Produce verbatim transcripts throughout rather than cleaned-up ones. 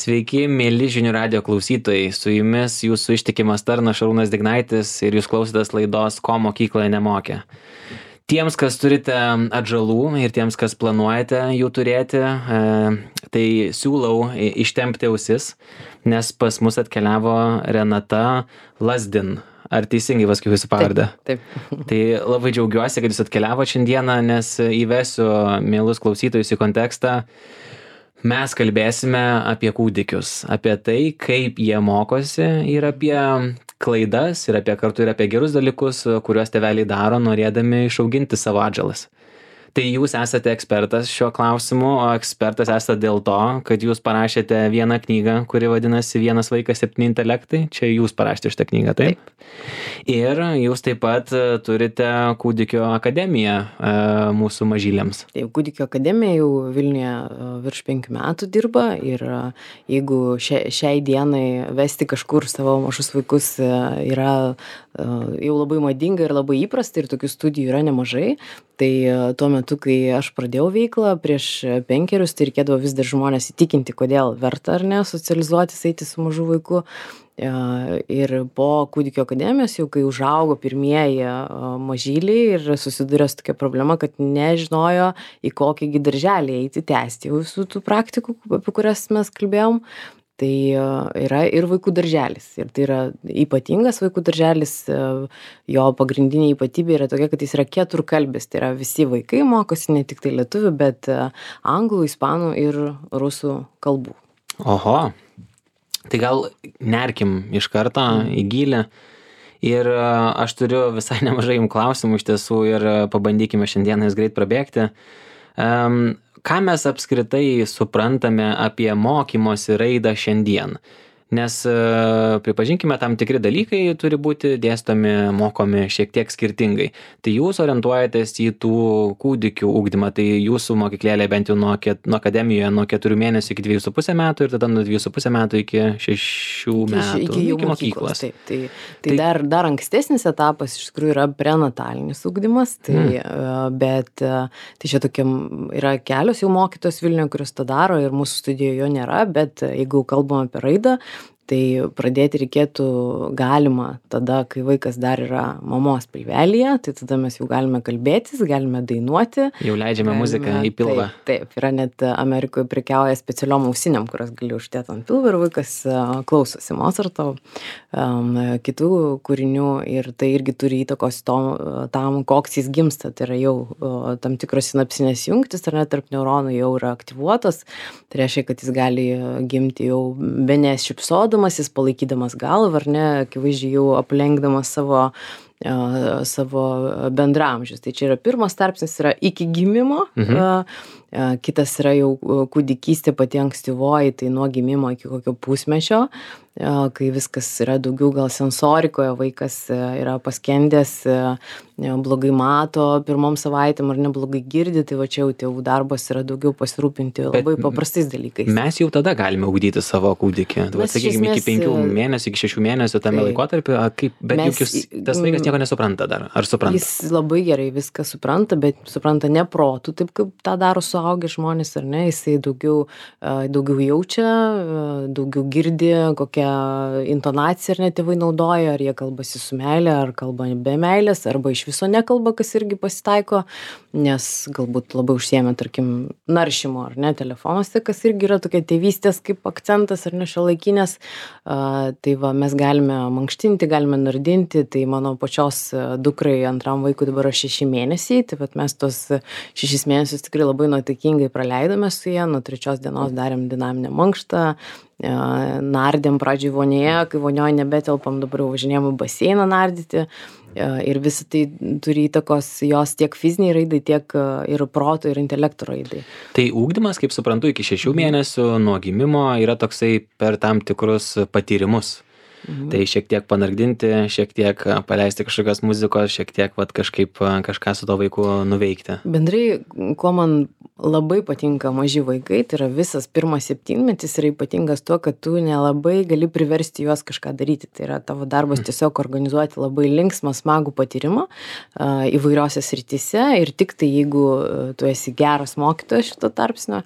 Sveiki, mėly žinių radio klausytojai. Su jumis jūsų ištikimas tarnas Šarūnas Dignaitis ir jūs klausotės laidos Ko mokykloje nemokė. Tiems, kas turite atžalų ir tiems, kas planuojate jų turėti, tai siūlau ištempti ausis, nes pas mus atkeliavo Renata Lazdin. Ar teisingai pasakiau jūsų pavardę? Taip, taip. Tai labai džiaugiuosi, kad jūs atkeliavo šiandieną, nes įvesiu mielus klausytojus į kontekstą. Mes kalbėsime apie kūdikius, apie tai, kaip jie mokosi ir apie klaidas ir apie kartu ir apie gerus dalykus, kuriuos tėveliai daro, norėdami išauginti savo atžalas. Tai jūs esate ekspertas šiuo klausimu, o ekspertas esate dėl to, kad jūs parašėte vieną knygą, kuri vadinasi Vienas vaikas septyni intelektai. Čia jūs parašėte šitą knygą, taip? Taip. Ir jūs taip pat turite Kūdikio akademiją e, mūsų mažyliams. Taip, Kūdikio akademija jau Vilniuje virš penkių metų dirba ir jeigu šia, šiai dienai vesti kažkur savo mažus vaikus yra jau labai madinga ir labai įprasta ir tokių studijų yra nemažai, tai tuo metu, kai aš pradėjau veiklą prieš penkerius, tai reikėdavo vis dar žmonės įtikinti, kodėl verta ar ne socializuotis, eiti su mažu vaiku. Ir po Kūdikio akademijos, jau kai užaugo pirmieji mažyliai ir susidūrė su tokia problema, kad nežinojo, į kokį darželį eiti tęsti visų tų praktikų, apie kurias mes kalbėjom. Tai yra ir vaikų darželis. Ir tai yra ypatingas vaikų darželis. Jo pagrindinė ypatybė yra tokia, kad jis yra keturkalbis. Tai yra visi vaikai mokosi ne tik tai lietuvių, bet anglų, ispanų ir rusų kalbų. Oho. Tai gal nerkim iš karto į gylį. Ir aš turiu visai nemažai jums klausimų iš tiesų ir pabandykime šiandieną jas greit prabėgti. Um, Ką mes apskritai suprantame apie mokymosi raidą šiandien? Nes pripažinkime, tam tikri dalykai turi būti dėstomi, mokomi šiek tiek skirtingai. Tai jūs orientuojatės į tų kūdikių ugdymą, tai jūsų mokyklėlė bent jau nuo, ket, nuo akademijoje nuo keturių mėnesių iki dviejų su pusė metų ir tada nuo dviejų su pusė metų iki šešių metų, iki, iki iki mokyklos. mokyklos. Taip, tai tai, tai dar, dar ankstesnis etapas iš tikrųjų yra prenatalinis ugdymas, tai, hmm. bet tai čia tokia yra kelios jau mokytos Vilniuje, kurios tą daro ir mūsų studijoje jo nėra, bet jeigu kalbam apie raidą, tai pradėti reikėtų galima tada, kai vaikas dar yra mamos pilvelyje, tai tada mes jau galime kalbėtis, galime dainuoti. Jau leidžiame galime, muziką į pilvą. Taip, taip, yra net Amerikoje prekiauja specialiom ausinėm, kurias gali uždėti ant pilvo ir vaikas klausosi Mozarto, um, kitų kūrinių ir tai irgi turi įtakos tom, tam, koks jis gimsta. Tai yra jau o, tam tikros sinapsinės jungtis, ar net tarp neuronų jau yra aktyvuotos. Tai reiškia, kad jis gali gimti jau bene šypsodamas, jis palaikydamas galvą, ar ne, akivaizdžiai jau aplenkdamas savo, uh, savo bendramžius. Tai čia yra pirmas tarpsnis, yra iki gimimo, mhm. uh, uh, kitas yra jau kūdikystė pati ankstyvoji, tai nuo gimimo iki kokio pusmečio, uh, kai viskas yra daugiau gal sensorikoje, vaikas uh, yra paskendęs, uh, blogai mato pirmom savaitėm ar neblogai girdi, tai va čia jau tėvų darbas yra daugiau pasirūpinti labai Bet paprastais dalykais. Mes jau tada galime ugdyti savo kūdikį. Sakykime, iki penkių mėnesių, iki šešių mėnesių tame laikotarpiu, kaip, bet juk jūs, tas vaikas nieko nesupranta dar, ar supranta? Jis labai gerai viską supranta, bet supranta ne protų, taip kaip tą daro suaugę žmonės, ar ne, jisai daugiau, daugiau jaučia, daugiau girdi, kokią intonaciją ar ne tėvai naudoja, ar jie kalbasi su meilė, ar kalba be meilės, arba iš viso nekalba, kas irgi pasitaiko, nes galbūt labai užsiėmė, tarkim, naršymo, ar ne, telefonuose, kas irgi yra tokia tėvystės kaip akcentas, ar ne, šiuolaikinės. Uh, tai va, mes galime mankštinti, galime nardinti, tai mano pačios dukrai antram vaikui dabar šeši mėnesiai, tai vat mes tos šešis mėnesius tikrai labai nuotaikingai praleidome su jie, nuo trečios dienos darėm dinaminę mankštą, nardėm pradžioj vonėje, kai vonioje nebetelpam, dabar jau važinėjom į baseiną nardyti ir visi tai turi įtakos jos tiek fiziniai raidai, tiek ir proto ir intelekto raidai. Tai ugdymas, kaip suprantu, iki šešių mėnesių nuo gimimo yra toksai per tam tikrus patyrimus. Mhm. Tai šiek tiek panardinti, šiek tiek paleisti kažkokios muzikos, šiek tiek vat, kažkaip kažką su to vaiku nuveikti. Bendrai, kuo man labai patinka maži vaikai, tai yra visas pirmas septynmetis yra ypatingas tuo, kad tu nelabai gali priversti juos kažką daryti. Tai yra tavo darbas tiesiog organizuoti labai linksmą, smagų patyrimą uh, įvairiose srityse ir tik tai jeigu tu esi geras mokytojas šito tarpsnio,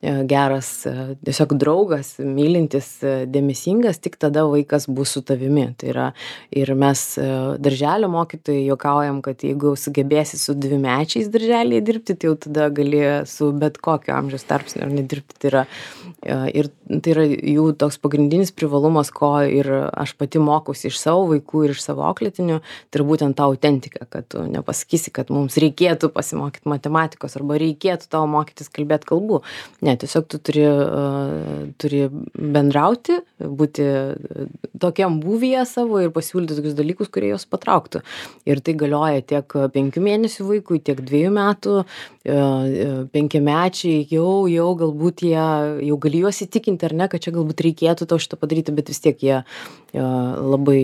geras, tiesiog draugas, mylintis, dėmesingas, tik tada vaikas bus su tavimi. Tai yra, ir mes darželio mokytojai juokaujam, kad jeigu sugebėsi su dvimečiais darželėje dirbti, tai jau tada gali su bet kokio amžiaus tarpsniu ar nedirbti. Tai yra, ir tai yra jų toks pagrindinis privalumas, ko ir aš pati mokausi iš savo vaikų ir iš savo auklėtinių, tai yra būtent ta autentika, kad tu nepasakysi, kad mums reikėtų pasimokyti matematikos arba reikėtų tavo mokytis kalbėti kalbų. Ne, tiesiog tu turi, uh, turi bendrauti, būti tokiam būvyje savo ir pasiūlyti tokius dalykus, kurie jos patrauktų. Ir tai galioja tiek penkių mėnesių vaikui, tiek dviejų metų, uh, penkiamečiai, jau, jau galbūt jie, jau gali juos įtikinti ar ne, kad čia galbūt reikėtų tau šitą padaryti, bet vis tiek jie uh, labai,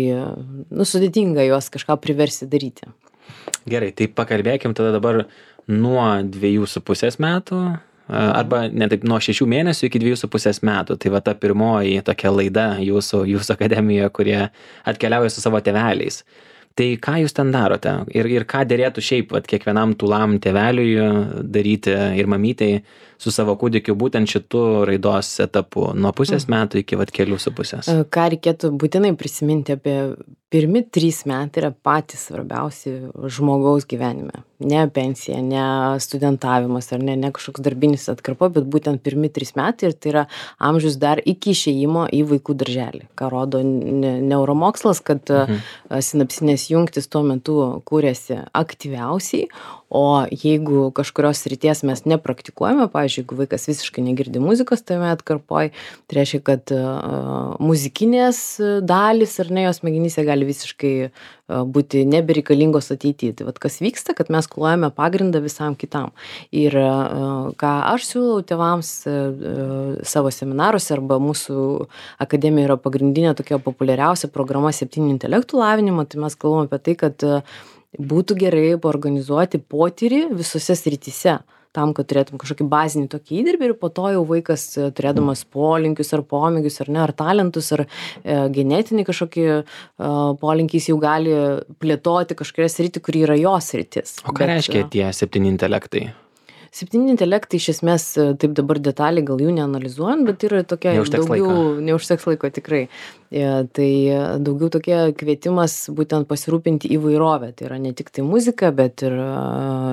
nu, sudėtinga juos kažką priversti daryti. Gerai, tai pakalbėkim tada dabar nuo dviejų su pusės metų, arba ne taip nuo šešių mėnesių iki dviejų su pusės metų. Tai va ta pirmoji tokia laida jūsų, jūsų akademijoje, kurie atkeliauja su savo tėveliais. Tai ką jūs ten darote? Ir, ir ką dėrėtų šiaip vat, kiekvienam tūlam tėveliui daryti ir mamytei su savo kūdikiu būtent šitų raidos etapų nuo pusės metų iki vat, kelių su pusės? Ką reikėtų būtinai prisiminti apie pirmi trys metai yra patys svarbiausi žmogaus gyvenime. Ne pensija, ne studentavimas ar ne, ne kažkoks darbinis atkarpa, bet būtent pirmi trys metai ir tai yra amžius dar iki išėjimo į vaikų darželį. Ką rodo neuromokslas, kad mhm. sinapsinės jungtis tuo metu kūrėsi aktyviausiai, o jeigu kažkurios srities mes nepraktikuojame, pavyzdžiui, jeigu vaikas visiškai negirdi muzikos tame atkarpoj, tai reiškia, kad uh, muzikinės dalys ar ne jos smegenyse gali visiškai uh, būti nebereikalingos ateityje. Tai vat kas vyksta, kad mes klojame pagrindą visam kitam. Ir uh, ką aš siūlau tėvams uh, savo seminaruose arba mūsų akademija yra pagrindinė tokia populiariausia programa septynių intelektų lavinimo, tai mes kalbame apie tai, kad uh, būtų gerai paorganizuoti potyrį visose srityse, tam, kad turėtum kažkokį bazinį tokį įdirbį ir po to jau vaikas turėdamas polinkius ar pomėgius ar ne, ar talentus, ar e, genetinį kažkokį e, polinkį jis jau gali plėtoti kažkokią sritį, kuri yra jos sritis. O ką Bet, reiškia tie septyni intelektai? Septyni intelektai iš esmės, taip dabar detaliai gal jų neanalizuojant, bet yra tokia neužteks daugiau, laiko. neužteks laiko tikrai. E, tai daugiau tokia kvietimas būtent pasirūpinti įvairovę. Tai yra ne tik tai muzika, bet ir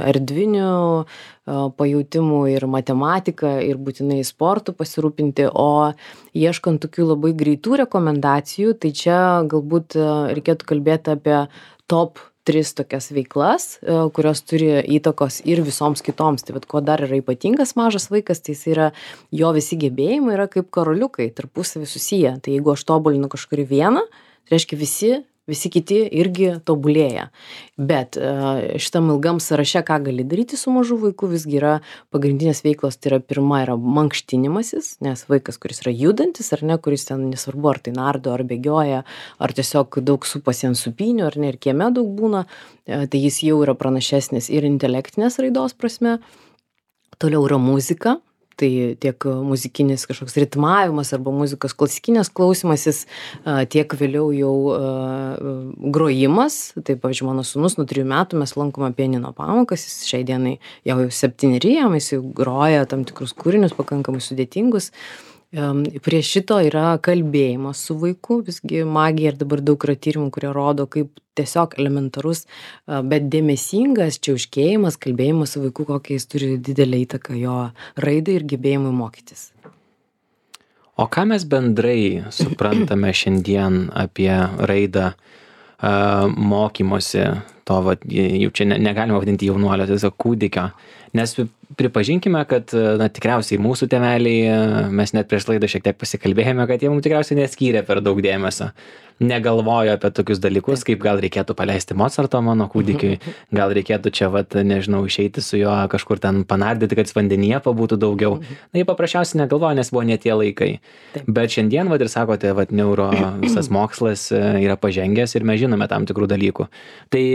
erdvinių pajautimų ir matematika ir būtinai sportų pasirūpinti, o ieškant tokių labai greitų rekomendacijų, tai čia galbūt reikėtų kalbėti apie top tris tokias veiklas, kurios turi įtakos ir visoms kitoms. Tai vat, ko dar yra ypatingas mažas vaikas, tai jis yra, jo visi gebėjimai yra kaip karoliukai, tarpusavį susiję. Tai jeigu aš tobulinu kažkurį vieną, tai reiškia visi, visi kiti irgi tobulėja. Bet šitam ilgam sąraše, ką gali daryti su mažu vaiku, visgi yra pagrindinės veiklos, tai yra pirma yra mankštinimasis, nes vaikas, kuris yra judantis, ar ne, kuris ten nesvarbu, ar tai nardo, ar bėgioja, ar tiesiog daug supasi ant supynių, ar ne, ir kieme daug būna, tai jis jau yra pranašesnis ir intelektinės raidos prasme. Toliau yra muzika. Tai tiek muzikinis kažkoks ritmavimas arba muzikos klasikinės klausymasis, tiek vėliau jau grojimas. Tai, pavyzdžiui, mano sūnus nuo trijų metų mes lankome pianino pamokas, jis šiai dienai jau septyneri, jis jau groja tam tikrus kūrinius pakankamai sudėtingus. Prie šito yra kalbėjimas su vaiku, visgi magija ir dabar daug yra tyrimų, kurie rodo, kaip tiesiog elementarus, bet dėmesingas čiauškėjimas, kalbėjimas su vaiku, kokia jis turi didelę įtaką jo raidai ir gebėjimui mokytis. O ką mes bendrai suprantame šiandien apie raidą mokymosi, to, va, jau čia negalima vadinti jaunuolio, tiesiog kūdikio, nes pripažinkime, kad na, tikriausiai mūsų tėveliai, mes net prieš laidą šiek tiek pasikalbėjome, kad jie mums tikriausiai neskyrė per daug dėmesio. Negalvojo apie tokius dalykus, kaip gal reikėtų paleisti Mozarto mano kūdikiui, gal reikėtų čia, vat, nežinau, išeiti su juo kažkur ten panardyti, kad vandenyje pabūtų daugiau. Na, jie paprasčiausiai negalvojo, nes buvo ne tie laikai. Taip. Bet šiandien, vat, ir sakote, vat, neuro visas mokslas yra pažengęs ir mes žinome tam tikrų dalykų. Tai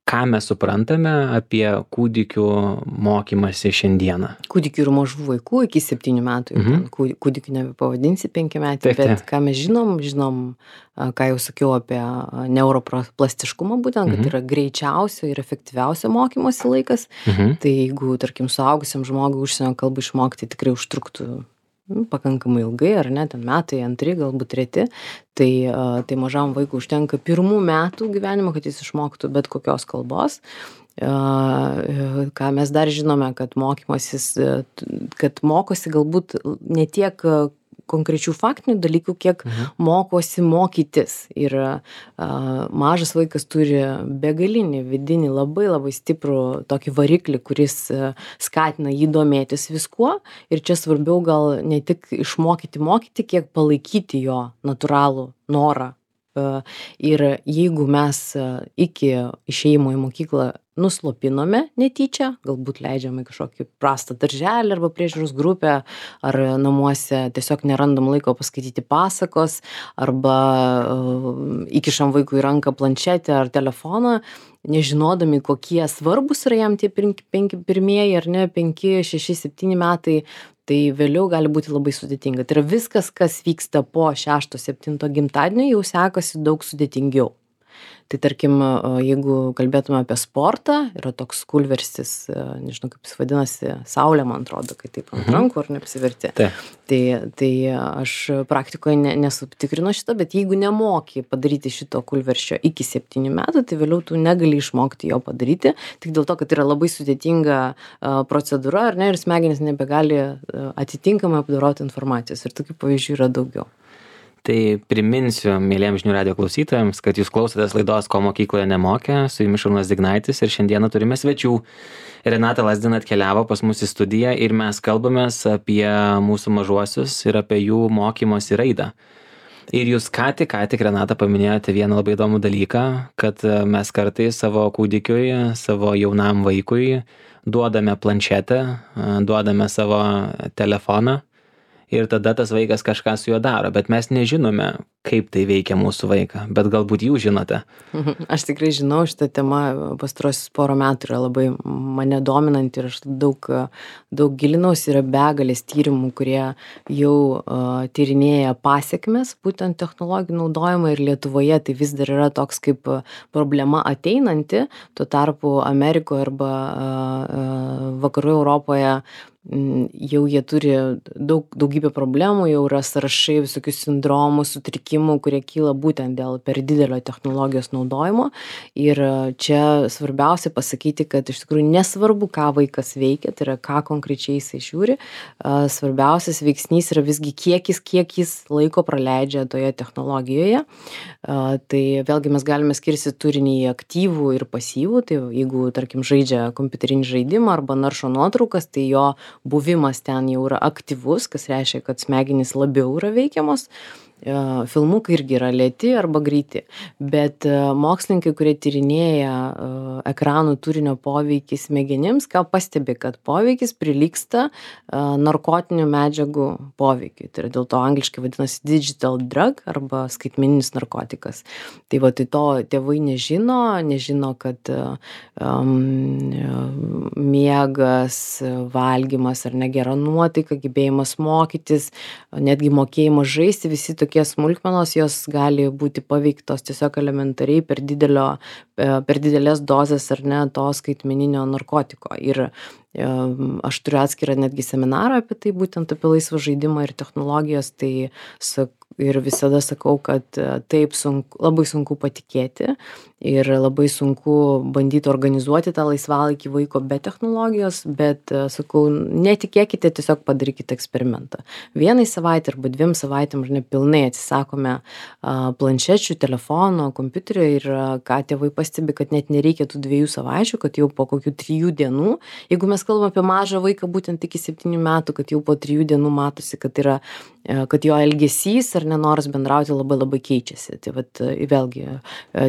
ką mes suprantame apie kūdikių mokymąsi šiandieną. Kūdikių ir mažų vaikų iki septynių metų, jau Mhm. ten kūdikių nebepavadinsi penkiametį, Taip, taip. bet ką mes žinom, žinom, a, ką jau sakiau apie a, neuroplastiškumą, būtent, kad Mhm. yra greičiausio ir efektyviausio mokymosi laikas. Mhm. Tai jeigu, tarkim, suaugusiam žmogui užsienio kalbą išmokti tikrai užtruktų nu, pakankamai ilgai, ar ne, ten metai, antri, galbūt treti, tai, a, tai mažam vaikui užtenka pirmų metų gyvenimo, kad jis išmoktų bet kokios kalbos. A, ką mes dar žinome, kad mokymasis, a, t- kad mokosi galbūt ne tiek a, konkrečių faktinių dalykų, kiek Mhm. mokosi mokytis. Ir a, mažas vaikas turi begalinį vidinį labai labai stiprų tokį variklį, kuris a, skatina jį domėtis viskuo. Ir čia svarbiau gal ne tik išmokyti mokyti, kiek palaikyti jo natūralų norą. A, Ir jeigu mes a, iki išėjimo į mokyklą nuslopinome netyčia, galbūt leidžiame į kažkokį prastą darželį arba priežiūros grupę, ar namuose tiesiog nerandam laiko paskaityti pasakos, arba uh, įkišam vaikui į ranką planšetę ar telefoną, nežinodami, kokie svarbus yra jam tie penki, penki pirmieji ar ne, penki, šeši, septyni metai, tai vėliau gali būti labai sudėtinga. Tai yra viskas, kas vyksta po šešto, septinto gimtadienio, jau sekasi daug sudėtingiau. Tai tarkim, a, jeigu kalbėtume apie sportą, yra toks kulverstis, a, nežinau kaip jis vadinasi, saulė, man atrodo, kai taip ant Mhm. rankų ar neapsiverti. Taip. Tai, tai aš praktikoje ne, nesutikrinu šito, bet jeigu nemoki padaryti šito kulverščio iki septynių metų, tai vėliau tu negali išmokti jo padaryti, tik dėl to, kad yra labai sudėtinga a, procedūra, ar ne, ir smegenys nebegali a, atitinkamai apdoroti informacijos. Ir tokių pavyzdžių yra daugiau. Tai priminsiu mėlyjams žinių radijo klausytojams, kad jūs klausotės laidos Ko mokykloje nemokė, su jumis Šarūnas Dignaitis ir šiandieną turime svečių. Renata Lazdina atkeliavo pas mus į studiją ir mes kalbamės apie mūsų mažuosius ir apie jų mokymosi raidą. Ir jūs ką tik, ką tik, Renata, paminėjote vieną labai įdomų dalyką, kad mes kartais savo kūdikiui, savo jaunam vaikui duodame planšetę, duodame savo telefoną ir tada tas vaikas kažką su juo daro, bet mes nežinome, kaip tai veikia mūsų vaiką, bet galbūt jūs žinote. Aš tikrai žinau, šitą temą pastarosius porą metų yra labai mane dominanti ir aš daug, daug gilinausi, yra begalės tyrimų, kurie jau uh, tyrinėja pasiekmes, būtent technologijų naudojimą, ir Lietuvoje tai vis dar yra toks kaip problema ateinanti, tuo tarpu Amerikoje arba uh, uh, vakarų Europoje jau jie turi daug, daugybę problemų, jau yra sąrašai visokių sindromų, sutrikimų, kurie kyla būtent dėl per didelio technologijos naudojimo. Ir čia svarbiausia pasakyti, kad iš tikrųjų nesvarbu, ką vaikas veikia, tai yra ką konkrečiai jisai žiūri. Svarbiausias veiksnys yra visgi kiekis, kiek jis laiko praleidžia toje technologijoje. Tai vėlgi mes galime skirstyti turinį į aktyvų ir pasyvų. Tai jeigu, tarkim, žaidžia kompiuterinį žaidimą arba naršo nuotraukas, tai jo buvimas ten jau yra aktyvus, kas reiškia, kad smegenys labiau yra veikiamos. Filmukai irgi yra lėti arba greiti, bet mokslininkai, kurie tyrinėja ekranų turinio poveikį smegenims, ką pastebi, kad poveikis prilygsta narkotinių medžiagų poveikiui. Tai yra dėl to angliškai vadinasi digital drug arba skaitmeninis narkotikas. Tai va, tai to tėvai nežino, nežino, kad um, miegas, valgymas ar negera nuotaika, gebėjimas mokytis, netgi mokėjimas žaisti, visi tokie smulkmenos, jos gali būti paveiktos tiesiog elementariai per didelio, per didelės dozes ar ne to skaitmeninio narkotiko. Ir aš turiu atskirą netgi seminarą apie tai, būtent apie laisvą žaidimą ir technologijas, tai ir visada sakau, kad taip sunku, labai sunku patikėti ir labai sunku bandyti organizuoti tą laisvalaikį vaiko be technologijos, bet sakau, netikėkite, tiesiog padarykite eksperimentą. Vienai savaitę arba dviem savaitėm ar ne pilnai atsisakome planšečių, telefono, kompiuterio ir ką tėvai pastebi, kad net nereikia tų dviejų savaičių, kad jau po kokių trijų dienų, jeigu mes kalbame apie mažą vaiką būtent iki septynių metų, kad jau po trijų dienų matosi, kad yra, kad jo elgesys ar nenoras bendrauti labai labai keičiasi. Tai vat, vėlgi,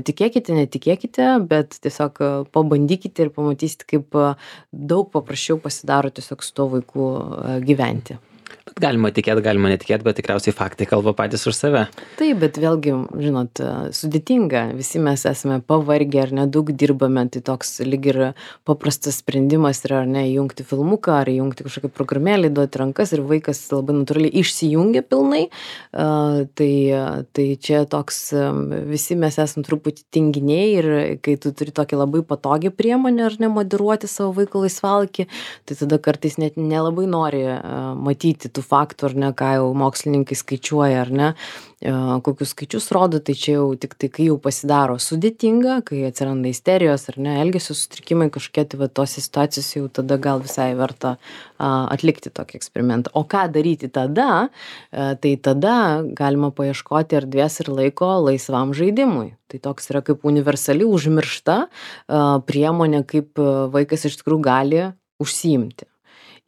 tikėkite, netikėkite, bet tiesiog pabandykite ir pamatysite, kaip daug paprasčiau pasidaro tiesiog su tuo vaiku gyventi. Bet galima tikėt, galima netikėt, bet tikriausiai faktai kalba patys už save. Taip, bet vėlgi, žinot, sudėtinga. Visi mes esame pavargę ar nedaug dirbame, tai toks lyg ir paprastas sprendimas yra, ar ne, įjungti filmuką, ar įjungti kažkokią programėlį, duoti rankas ir vaikas labai natūraliai išsijungia pilnai. Uh, tai, tai čia toks, visi mes esame truputį tinginiai ir kai tu turi tokį labai patogią priemonę ar ne moderuoti savo vaiko laisvalaikį, tai tada kartais net nelabai nori uh, matyti tų faktų, ar ne, ką jau mokslininkai skaičiuoja, ar ne, kokius skaičius rodo, tai čia jau tik tai, kai jau pasidaro sudėtinga, kai atsiranda isterijos, ar ne, elgesio sutrikimai kažkokie, tai va tose situacijos jau tada gal visai verta atlikti tokį eksperimentą. O ką daryti tada? Tai tada galima paieškoti erdvės ir laiko laisvam žaidimui. Tai toks yra kaip universali užmiršta priemonė, kaip vaikas iš tikrųjų gali užsiimti.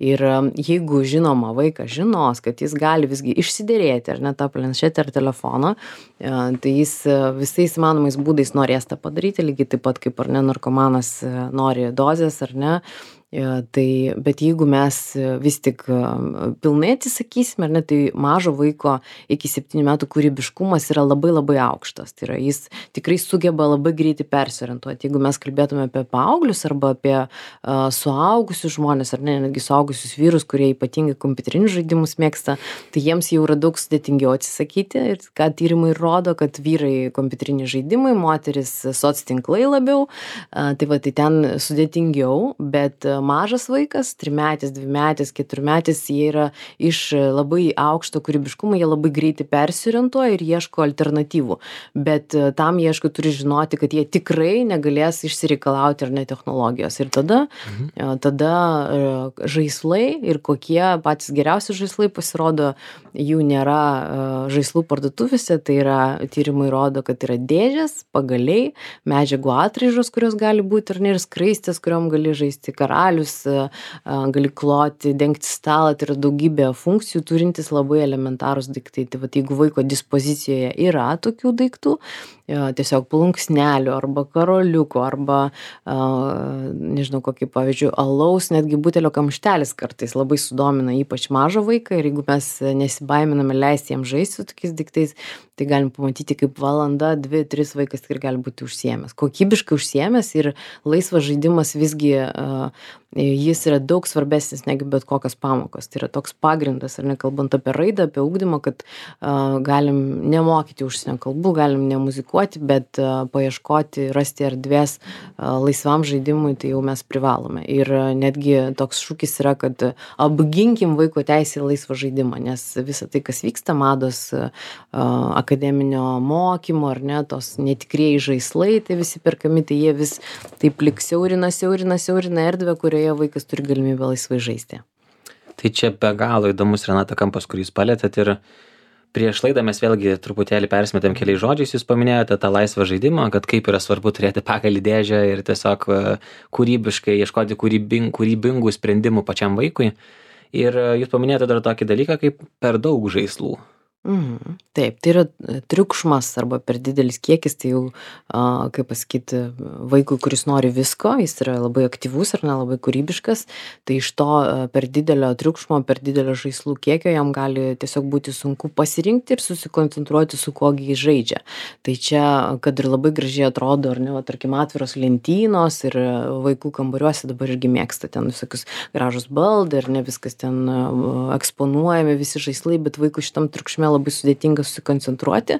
Ir jeigu žinoma vaikas žinos, kad jis gali visgi išsiderėti ar ne tą planšetę ar telefoną, tai jis visais įmanomais būdais norės tą padaryti, lygiai taip pat kaip ar ne narkomanas nori dozės ar ne. Tai, bet jeigu mes vis tik pilnai atsisakysime, ar ne, tai mažo vaiko iki septynių metų kūrybiškumas yra labai labai aukštas. Tai yra, jis tikrai sugeba labai greitai persiorientuoti. Jeigu mes kalbėtume apie paauglius arba apie uh, suaugusius žmonės, ar ne, netgi suaugusius vyrus, kurie ypatingai kompiuterinius žaidimus mėgsta, tai jiems jau yra daug sudėtingiau atsisakyti. Ir ką tyrimai rodo, kad vyrai kompiuteriniai žaidimai, moteris soctinklai labiau. Uh, tai va, tai ten sudėtingiau, bet mažas vaikas, trimetis, dvimetis, keturmetis, jie yra iš labai aukšto kūrybiškumo, jie labai greitai persiorientuoja ir ieško alternatyvų. Bet tam jie, aišku, turi žinoti, kad jie tikrai negalės išsireikalauti ar ne technologijos. Ir tada, mhm. tada žaislai ir kokie patys geriausi žaislai pasirodo, jų nėra žaislų parduotuvėse, tai yra tyrimai rodo, kad yra dėžės, pagaliai, medžiagų atraižos, kurios gali būti ar ne, ir skraistės, kuriom gali žaisti karalius, gali kloti, dengti stalą, tai yra daugybė funkcijų turintis labai elementarūs daiktai. Tai vat, jeigu vaiko dispozicijoje yra tokių daiktų, tiesiog plunksnelių arba karoliuko arba, nežinau, kokį pavyzdžiui, alaus, netgi butelio kamštelis kartais labai sudomina ypač mažą vaiką ir jeigu mes nesibaiminame leisti jam žaisti su tokiais daiktais, tai galim pamatyti, kaip valanda, dvi, tris vaikas tikrai gali būti užsiėmęs. Kokybiškai užsiėmęs ir laisvas žaidimas visgi jis yra daug svarbesnis negu bet kokios pamokos. Tai yra toks pagrindas, ar ne, kalbant apie raidą, apie ugdymą, kad uh, galim nemokyti užsienio kalbų, galim nemuzikuoti, bet uh, paieškoti, rasti erdvės uh, laisvam žaidimui, tai jau mes privalome. Ir uh, netgi toks šūkis yra, kad uh, apginkim vaiko teisę į laisvą žaidimą, nes visa tai, kas vyksta, mados uh, akademinio mokymo, ar ne, tos netikrieji žaislai, tai visi perkami, tai jie vis taip lik siaurina, siaurina, siaurina erdvę, kurioje vaikas turi galimybę laisvai žaisti. Tai čia be galo įdomus, Renata, kampas, kurį jūs palėtėt ir prieš laidą mes vėlgi truputėlį persimetėm keliais žodžiais, jūs paminėjote tą laisvą žaidimą, kad kaip yra svarbu turėti pagalį dėžę ir tiesiog kūrybiškai ieškoti kūrybing, kūrybingų sprendimų pačiam vaikui. Ir jūs paminėjote dar tokį dalyką kaip per daug žaislų. Mhm. Taip, tai yra triukšmas arba per didelis kiekis, tai jau, a, kaip pasakyti, vaikui, kuris nori visko, jis yra labai aktyvus ar ne, labai kūrybiškas, tai iš to a, per didelio triukšmo, per didelio žaislų kiekio jam gali tiesiog būti sunku pasirinkti ir susikoncentruoti, su kuo jis žaidžia. Tai čia, kad ir labai gražiai atrodo, ar ne, va, tarkim, atviros lentynos ir vaikų kambariuose dabar irgi mėgsta ten visokius gražus baldai, ar ne, viskas ten a, eksponuojami, visi žaislai, bet vaikų šitam triukšme labai sudėtinga susikoncentruoti,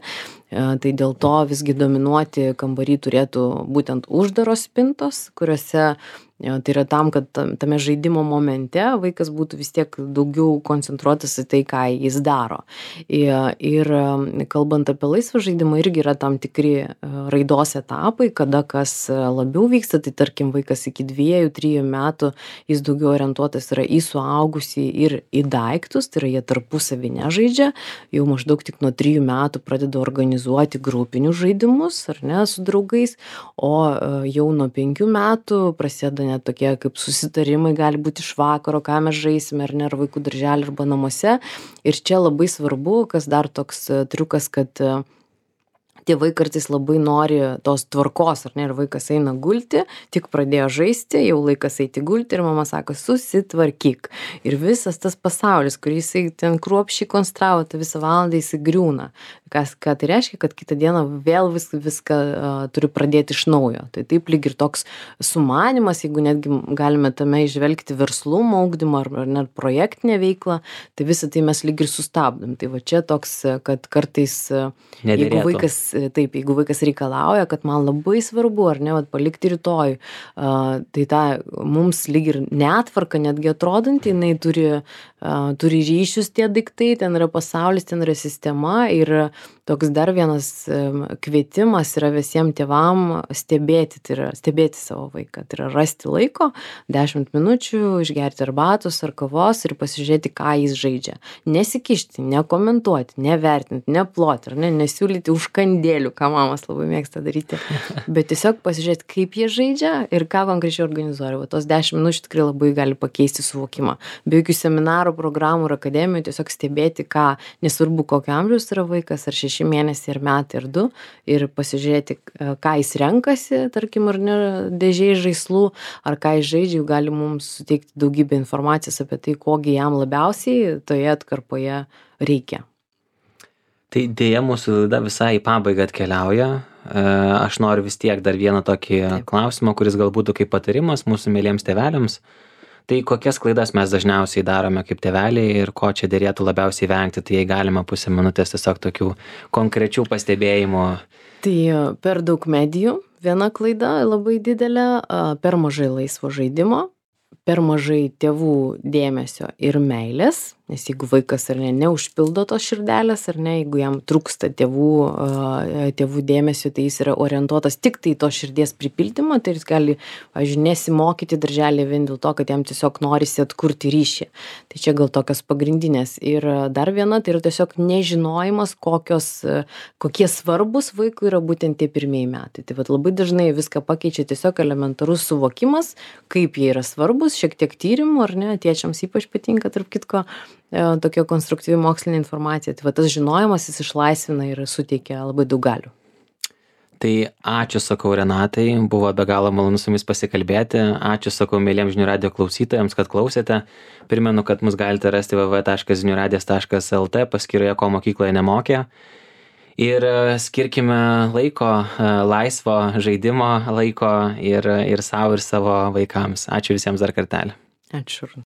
tai dėl to visgi dominuoti kambarį turėtų būtent uždaros spintos, kuriuose tai yra tam, kad tame žaidimo momente vaikas būtų vis tiek daugiau koncentruotas į tai, ką jis daro. Ir, ir kalbant apie laisvą žaidimą, irgi yra tam tikri raidos etapai, kada kas labiau vyksta, tai tarkim vaikas iki dviejų, trijų metų, jis daugiau orientuotas yra į suaugusį ir į daiktus, tai yra jie tarpusavį nežaidžia, jau maždaug tik nuo trijų metų pradeda organizuoti grupinius žaidimus, ar ne, su draugais, o jau nuo penkių metų prasideda net tokie kaip susitarimai gali būti iš vakaro, ką mes žaisime, ar ne, ar vaikų darželį arba namuose. Ir čia labai svarbu, kas dar toks triukas, kad tėvai kartais labai nori tos tvarkos, ar ne, ir vaikas eina gulti, tik pradėjo žaisti, jau laikas eiti gulti ir mama sako, susitvarkyk. Ir visas tas pasaulis, kurį jisai ten kruopščiai konstravo, tą visą valandą jisai griūna. Kas, ką tai reiškia, kad kitą dieną vėl vis, viską uh, turi pradėti iš naujo. Tai taip lyg ir toks sumanimas, jeigu netgi galime tame išvelgti verslumo ugdymą ar, ar net projektinę veiklą, tai visą tai mes lyg ir sustabdom. Tai va čia toks, kad kartais, Nederėtų. jeigu vaikas Taip, jeigu vaikas reikalauja, kad man labai svarbu, ar ne, vat, palikti rytoj, uh, tai ta mums lyg ir netvarka netgi atrodanti, jinai turi, uh, turi ryšius tie daiktai, ten yra pasaulis, ten yra sistema ir toks dar vienas um, kvietimas yra visiems tėvam stebėti, tai yra stebėti savo vaiką, tai yra rasti laiko, dešimt minučių, išgerti arbatos ar kavos ir pasižiūrėti, ką jis žaidžia. Nesikišti, nekomentuoti, nevertinti, neploti, ar ne, nesiūlyti užkandėlių, ką mamas labai mėgsta daryti, bet tiesiog pasižiūrėti, kaip jie žaidžia ir ką konkrečiai organizuoja. Va, tos dešimt minučių tikrai labai gali pakeisti suvokimą. Be jokių seminarų, programų ir akademijų, tiesiog stebėti, ką, nesvarbu, kokio amžiaus yra vaikas, ar šeši mėnesiai, ar metai, ar du, ir pasižiūrėti, ką jis renkasi, tarkim, ar ne, dėžiai žaislų, ar ką jis žaidžia, jau gali mums suteikti daugybę informacijos apie tai, kogi jam labiausiai toje atkarpoje reikia. Tai dėja mūsų laida visai į pabaigą atkeliauja. Aš noriu vis tiek dar vieną tokį Taip. klausimą, kuris gal būtų kaip patarimas mūsų mėlyms tėveliams. Tai kokias klaidas mes dažniausiai darome kaip tėveliai ir ko čia dėrėtų labiausiai vengti, tai jei galima pusę minutės tiesiog tokių konkrečių pastebėjimų. Tai per daug medijų, viena klaida labai didelė, per mažai laisvo žaidimo, per mažai tėvų dėmesio ir meilės, nes jeigu vaikas ar ne, neužpildo tos širdelės, ar ne, jeigu jam trūksta tėvų, tėvų dėmesio, tai jis yra orientuotas tik tai tos širdies pripildymą, tai jis gali, pavyzdžiui, nesimokyti darželį vien dėl to, kad jam tiesiog norisi atkurti ryšį. Tai čia gal tokios pagrindinės. Ir dar viena, tai yra tiesiog nežinojimas, kokios, kokie svarbus vaikui yra būtent tie pirmieji metai. Tai vat labai dažnai viską pakeičia tiesiog elementarus suvokimas, kaip jie yra svarbus, šiek tiek tyrimų, ar ne, tėčiams ypač patinka, tarp kitko, tokia konstruktyvi mokslinė informacija. Tai va tas žinojimas jis išlaisvina ir suteikia labai daug galių. Tai ačiū, sakau, Renatai, buvo be galo malonu su jumis pasikalbėti. Ačiū, sakau, mėlyms žinių radijo klausytojams, kad klausėte. Primenu, kad mus galite rasti w w w taškas žinių radijas taškas l t paskyroje, ko mokykloje nemokė. Ir skirkime laiko, laisvo žaidimo laiko ir, ir savo, ir savo vaikams. Ačiū visiems dar kartelį. Ačiū.